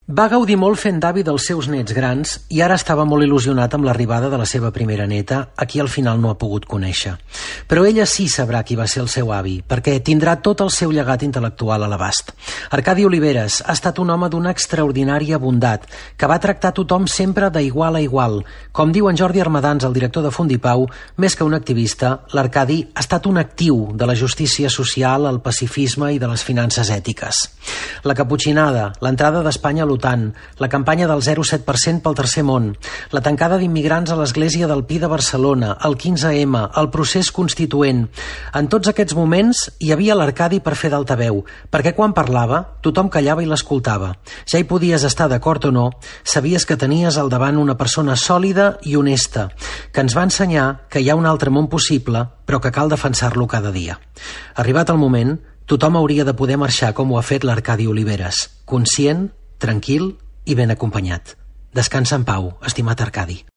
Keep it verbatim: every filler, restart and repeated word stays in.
Va gaudir molt fent d'avi dels seus nets grans i ara estava molt il·lusionat amb l'arribada de la seva primera neta, a qui al final no ha pogut conèixer. Però ella sí sabrà qui va ser el seu avi, perquè tindrà tot el seu llegat intel·lectual a l'abast. Arcadi Oliveres ha estat un home d'una extraordinària bondat, que va tractar tothom sempre d'igual a igual. Com diu en Jordi Armadans, el director de Fundipau, més que un activista, l'Arcadi ha estat un actiu de la justícia social, el pacifisme i de les finances ètiques. La caputxinada, l'entrada d'Espanya a l'OTAN, la campanya del zero coma set per cent pel tercer món, la tancada d'immigrants a l'església del Pi de Barcelona, el quinze ema, el procés constituent. En tots aquests moments hi havia l'Arcadi per fer d'altaveu, perquè quan parlava tothom callava i l'escoltava. Ja hi podies estar d'acord o no, sabies que tenies al davant una persona sòlida i honesta, que ens va ensenyar que hi ha un altre món possible, però que cal defensar-lo cada dia. Arribat el moment, tothom hauria de poder marxar com ho ha fet l'Arcadi Oliveres, conscient, tranquil i ben acompanyat. Descansa en pau, estimat Arcadi.